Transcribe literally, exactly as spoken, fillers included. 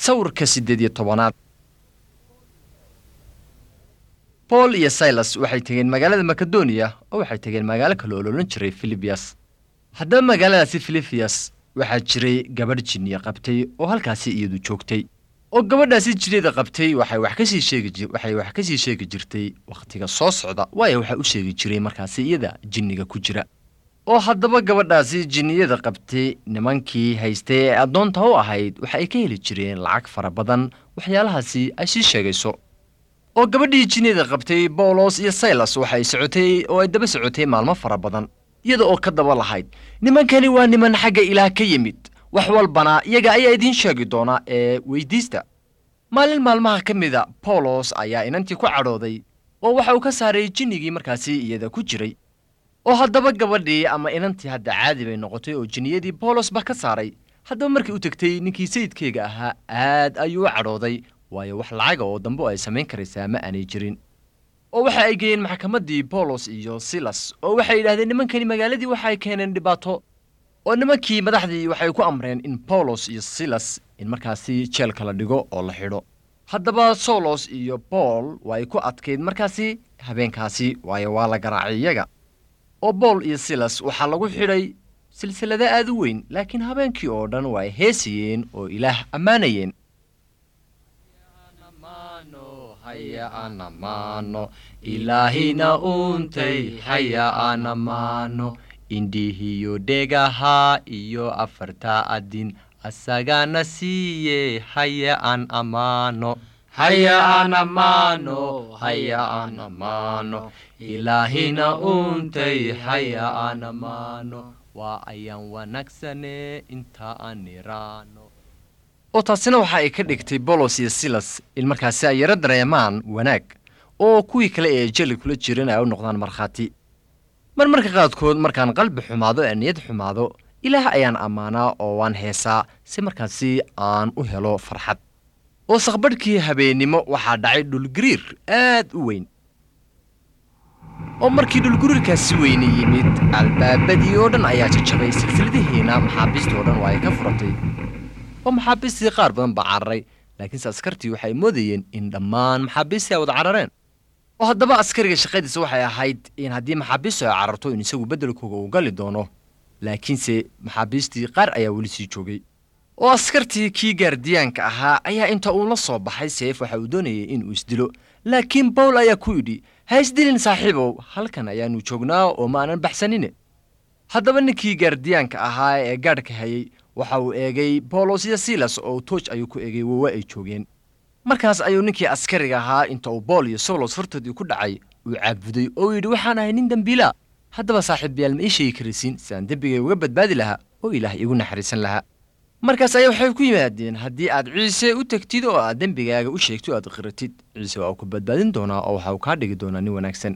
Sawirka siddeed iyo tobanaad. Bool iyo Saylas waxay tegeen magaalada Makedoniya oo waxay tegeen magaalo kale oo loolan jiray Filibiyas. Haddaba magaaladaasi Filibiyas waxaa jiray gabadh jinniya qabtay oo halkaasi iyadu joogtay. Oo gabadhaasi jinniyada qabtay waxay wax kasii sheegi waxay wax kasii sheegi jirtay wakhtiga soo socda, waayo waxaa u sheegi jiray markaasi iyada jinniga ku jira. Oo haddaba gabadhaasi jinniyada qabtay nimankii haystay ee addoonta u ahayd waxa ay ka heli jireen lacag fara badan waxyaalahaasi ay sii sheegayso. Oo gabadhii jinniyada qabtay Boolos iyo Saylas waxay socotay oo ay daba socotay maalmo fara badan iyada oo ka daba lahayd, nimankani waa niman xagga Ilaah ka yimid, wax walbana iyaga ayaa idiin sheegi doona ee weydiista. Maalin maalmaha ka mida Boolos ayaa inantii ku cadhooday oo waxa uu ka saaray jinnigii markaasi iyada ku jiray. Oo haddaba gabadhii ama inantii hadda caadi bay noqotay oo jinniyadii Boolos ba ka saaray. Haddaba markii u tegtay ninkii sayidkeyga ahaa aad ayuu u cadhooday, waayo wax lacaga oo dambe oo ay samayn karaysaa ma aanay jirin. Oo waxa ay geeyeen maxkamaddii Boolos iyo Silas oo waxay yidhaahdeen nimankani magaaladii waxa ay keeneen dhibaato. Oo nimankii madaxdii waxay ku amreen in Boolos iyo Silas in markaasi jeelka la dhigo oo la xidho. Haddaba Solos iyo Bool waa ay ku adkayd markaasi habeenkaasi, waayo waa la garaacay iyaga. Oo Bool iyo Silas waxaa lagu xidhay silsilado aad u weyn, laakiin habeenkii oo dhan waa ay heesayeen oo Ilaah ammaanayeen. Haya aan ammaano Ilaahina uuntay, haya aan ammaano indhihiyo dhegaha iyo afarta adin asagana siiye, haya aan ammaano, haya aan ammaano, haya aan ammaano Ilaahina uuntay, haya aan ammaano, waa ayaan wanaagsane inta aan niraano. Oo taasina waxa ay ka dhigtay Bolos iyo Silas in markaasi ay yaro dareemaan wanaag oo kuwii kale ee jeli kula jiran ay u noqdaan markhaati. Marmarka qaadkood markaan qalbi xumaado ee niyad xumaado, Ilaah ayaan ammaanaa oo waan heesaa si markaasi aan u helo farxad. Oo saqbadhkii habeennimo waxaa dhacay dhulgariir aad u weyn. Oo markii dhulgariirkaasi weyne yimid, albaabadii oo dhan ayaa jajabay, silsiladihiina maxaabiistii oo dhan waa ay ka furatay. Oo maxaabiistii qaar badan baa cararay, laakiinse askartii waxay moodayeen in dhammaan maxaabiistii ay wada carareen. Oo haddaba askariga shaqadiisa waxay ahayd in haddii maxaabiistu ay cararto in isagu beddelkooga uu gali doono, laakiinse maxaabiistii qaar ayaa weli sii joogay. Oo askartii kii gaardiyaanka ahaa ayaa inta uu la soo baxay seef waxa uu doonayay inuu isdilo, laakiin Bowl ayaa ku yidhi, ha isdilin saaxiibow, halkan ayaannu joognaa oo ma aanan baxsanine. Haddaba ninkii gaardiyaanka ahaa ee gaadhka hayay waxa uu eegay Boolos iyo Silas oo tooj ayuu ku eegay wowa ay joogeen. Markaas ayuu ninkii askariga ahaa inta uu Bool iyo Solos hortoodii ku dhacay uu caabuday oo yidhi, waxaan ahay nin dembiila, haddaba saaxiibayaal ma ii sheegi karaysiin si aan dembigay uga badbaadi lahaa oo Ilaah iigu naxariisan lahaa. Markaas ayaa waxay ku yimaadeen, haddii aad Ciise u tegtid oo aad dembigaaga u sheegto aad qiratid, Ciise waa uu ku badbaadin doonaa oo waxa uu kaa dhigi doonaa nin wanaagsan.